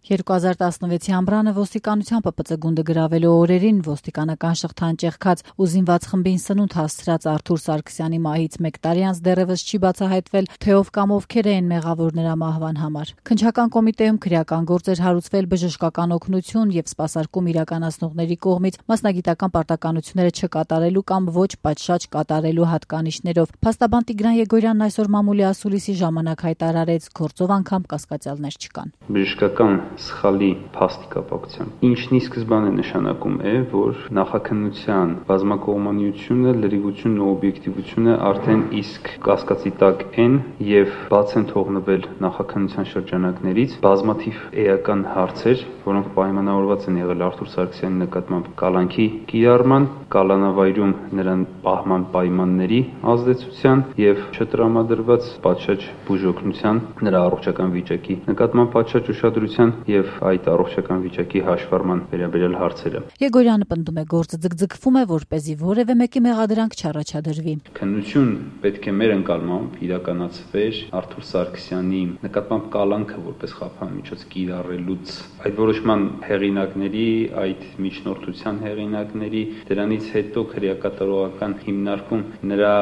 2016-ի ամռանը ոստիկանության ՊՊԾ գունդը գրավելու օրերին ոստիկանական շղթան ճեղքած ու զինված խմբին սնունդ հասցրած Արթուր Սարգսյանի մահից 1 տարի անց դեռևս չի բացահայտվել, թե ով կամ ովքեր էին մեղավոր նրա մահվան համար։ Քննչական կոմիտեում քրեական գործ էր հարուցվել բժշկական օգնություն եւ սպասարկում իրականացնողների կողմից մասնագիտական պարտականությունները չկատարելու կամ ոչ պատշաճ կատարելու հատկանիշներով։ Փաստաբան Տիգրան Եգորյանն այսօր մամուլի ասուլիսի ժամանակ հայտարարեց, գործով անգամ կասկածյալներ չկան։ Բժշկական սխալի փաստի կապակցությամբ ինչն ի սկզբանե նշանակում է, որ նախաքննության բազմակողմանիությունը, լրիվությունն ու օբյեկտիվությունը արդեն իսկ կասկածի տակ են եւ բաց են թողնվել նախաքննության շրջանակներից բազմաթիվ էական հարցեր, որոնք պայմանավորված են եղել Արթուր Սարգսյանի նկատմամբ կալանքի կիրառման, կալանավայրում նրան պահման պայմանների ազդեցության եւ չտրամադրված պատշաճ բուժօգնության նրա առողջական վիճակի նկատմամբ պատշաճ ուշադրության եւ այդ առողջական վիճակի հաշվառման վերաբերյալ հարցերը։ Եգորյանը պնդում է, գործը ձգձգվում է, որպեսզի որևէ մեկի մեղադրանք չառաջադրվի։ Քննություն պետք է մեր ընկալմամբ իրականացվեր Արթուր Սարգսյանի նկատմամբ կալանքը որպես խափանմիջոց կիրառելուց այդ որոշման հեղինակների, այդ միջնորդության հեղինակների, դրանից հետո քրեակատարողական հիմնարկում նրա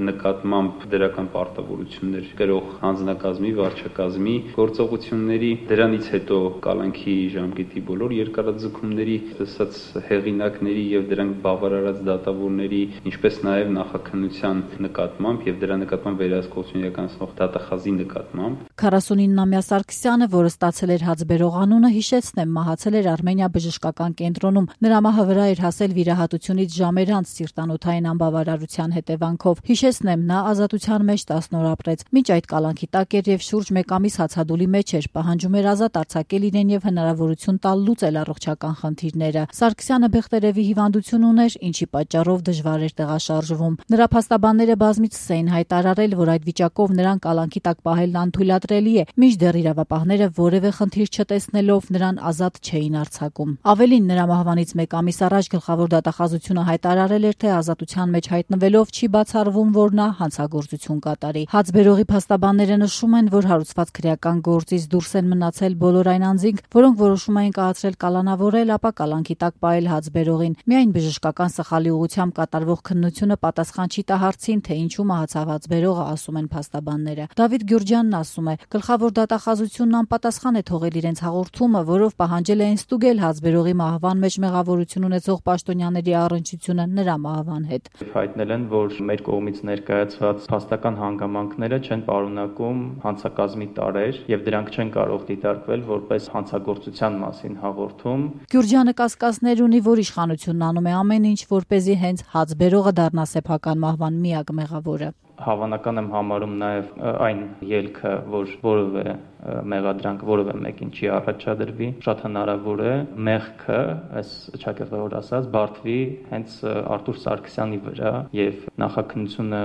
նկատմամբ դրական պարտավորություններ կրող հանձնակազմի, վարչակազմի գործողությունների, դրանից հետո կալանքի ժամկետի բոլոր երկարաձգումների, ասած հեղինակների եւ դրանք բավարարած դատավորների, ինչպես նաեւ նախաքննության նկատմամբ եւ դրա նկատմամբ վերահսկողություն իրականացնող դատախազի նկատմամբ։ 49-ամյա Սարգսյանը, որը ստացել էր հացբերող անունը, հիշեցնեմ, մահացել էր Արմենիա բժշկական կենտրոնում։ Նրա մահը վրա էր հասել վիրահատությունից ժամեր անց սիրտանոթային անբավարարության հետևանքով։ Հիշեցնեմ, նա ազատության մեջ 10 օր ապրեց։ Մինչ այդ կալանքի տակ էր եւ շուրջ 1 ամիս հացադուլի մեջ էր, պահանջում էր ազատ արձակել իրեն եւ հնարավորություն տալ լուծել առողջական խնդիրները։ Սարգսյանը Բեղտերևի հիվանդություն ուներ, ինչի պատճառով դժվար էր տեղաշարժվում։ Նրա փաստաբանները բազմիցս էին հայտարարել, որ այդ վիճակով նրան կալանքի տակ պահելն անթույլատրելի է, մինչդեռ իրավապահները որևէ խնդիր չտեսնելով նրան ազատ չէին արձակում։ Ավելին, նրա մահվանից 1 ամիս առաջ գլխավոր դատախազությունը հայտարարել էր, թե ազատության մեջ հայտնվելով չի բացառվում, որ նա հանցագործություն կատարի։ Հացբերողի փաստաբանները նշում են, որ հարուցված քրեական գործից դուրս են մնացել բոլոր այն անձինք, որոնք որոշում էին կայացրել կալանավորել, ապա կալանքի տակ պահել հացբերողին։ Միայն բժշկական սխալի ուղղությամբ կատարվող քննությունը պատասխան չի տա հարցին, թե ինչու մահացավ հացբերողը, ասում են փաստաբանները։ Դավիթ Գյուրջյանն ասում է, գլխավոր դատախազությունն անպատասխան է թողել իրենց հաղորդումը, որով պահանջել էին ստուգել հացբերողի մահվան մեջ մեղավորություն ունեցող պաշտոնյաների առնչությունը նրա մահվան հետ։ Հայտնել են, որ մեր կողմից ներկայացված փաստական հանգամանքները չեն պարունակում հանցակազմի տարրեր եւ դրանք չեն կարող դիտարկվել որպես հանցագործության մասին հաղորդում։ Գյուրջյանը կասկածներ ունի, որ իշխանությունն անում է ամեն ինչ, որպեսզի հենց հացբերողը դառնա սեփական մահվան միակ մեղավորը։ Հավանական եմ համարում նաև այն ելքը, որ որևէ մեղադրանք որևէ մեկին չի առաջադրվի, շատ հնարավոր է մեղքը, այս ճակերտավոր ասած, բարդվի հենց Արթուր Սարգսյանի վրա եւ նախաքննությունը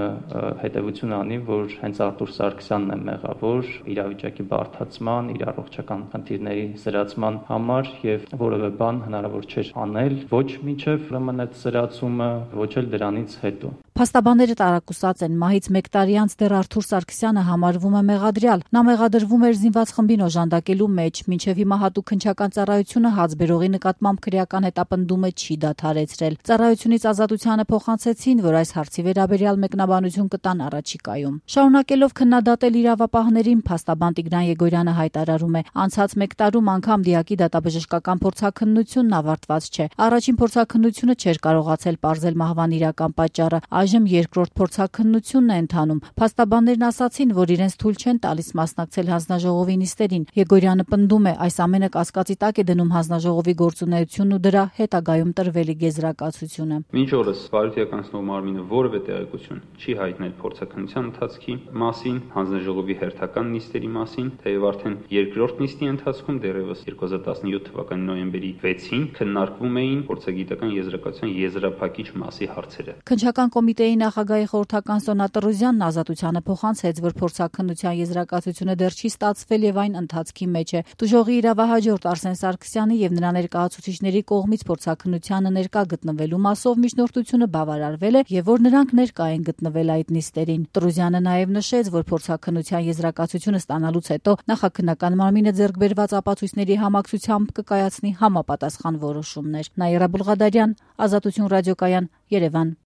հետեւություն անի, որ հենց Արթուր Սարգսյանն է մեղավոր իրավիճակի բարդացման, իր առողջական խնդիրների զրացման համար եւ որևէ բան հնարավոր չէր անել ոչ մինչեւ ուրեմն այդ զրացումը, ոչ էլ դրանից հետո։ Փաստաբանները տարակուսած են, մահից 1 տարի անց դեռ Արթուր Սարգսյանը համարվում է մեղադրյալ։ Նա մեղադրվում էր զինված խմբին օժանդակելու մեջ, մինչև հիմա հատուկ քննչական ծառայությունը հացբերողի նկատմամբ քրեական հետապնդումը չի դադարեցրել։ Ծառայությունից ազատությանը փոխանցեցին, որ այս հարցի վերաբերյալ մեկնաբանություն կտան առաջիկայում։ Շարունակելով քննադատել իրավապահներին, փաստաբան Տիգրան Եգորյանը հայտարարում է, անցած 1 տարում անգամ դիակի դատաբժշկական փորձաքննությունն ավարտված չէ։ Առաջին փորձաքննությունը չէր կարողացել պարզել մահվան իրական պատճառը, այժմ երկրորդ փորձաքննությունն է ընթանում։ Փաստաբաններն ասացին, որ իրենց թույլ չեն տալիս մասնակցել հանձնաժողովի նիստերին։ Եգորյանը պնդում է, այս ամենը կասկածի տակ է դնում հանձնաժողովի գործունեությունն ու դրա հետագայում տրվելիք եզրակացությունը։ Մինչ օրս բարոյականացնող մարմինը որևէ տեղեկություն չի հայտնել փորձաքննության ընթացքի մասին, հանձնաժողովի հերթական նիստերի մասին, թեև արդեն երկրորդ նիստի ընթացքում դեռևս 2017 թվականի նոյեմբերի 6-ին քննարկվում էին փորձագիտական եզրակացության եզրափակիչ մասի հարցերը։ Քննչական կոմիտեի նախագահի խորհրդական Սոնա Տրուզյանն ազատությանը փոխանցեց, որ փորձաքննության եզրակացությունը դեռ չի ստացվել ստացվել եւ այն ընթացքի մեջ է։ Տուժողի իրավահաջորդ Արսեն Սարգսյանի եւ նրա ներկայացուցիչների կողմից փորձաքննությանը ներկա գտնվելու մասով միջնորդությունը բավարարվել է եւ որ նրանք ներկա են գտնվել այդ նիստերին։ Տրուզյանը նաեւ նշեց, որ փորձաքննության եզրակացությունը ստանալուց հետո նախաքննական մարմինը ձեռք բերված ապացույցների համակցությամբ կկայացնի համապատասխան որոշումներ։ Նաիրա Բուլղադարյան, Ազատություն ռադիոկայան, Երևան։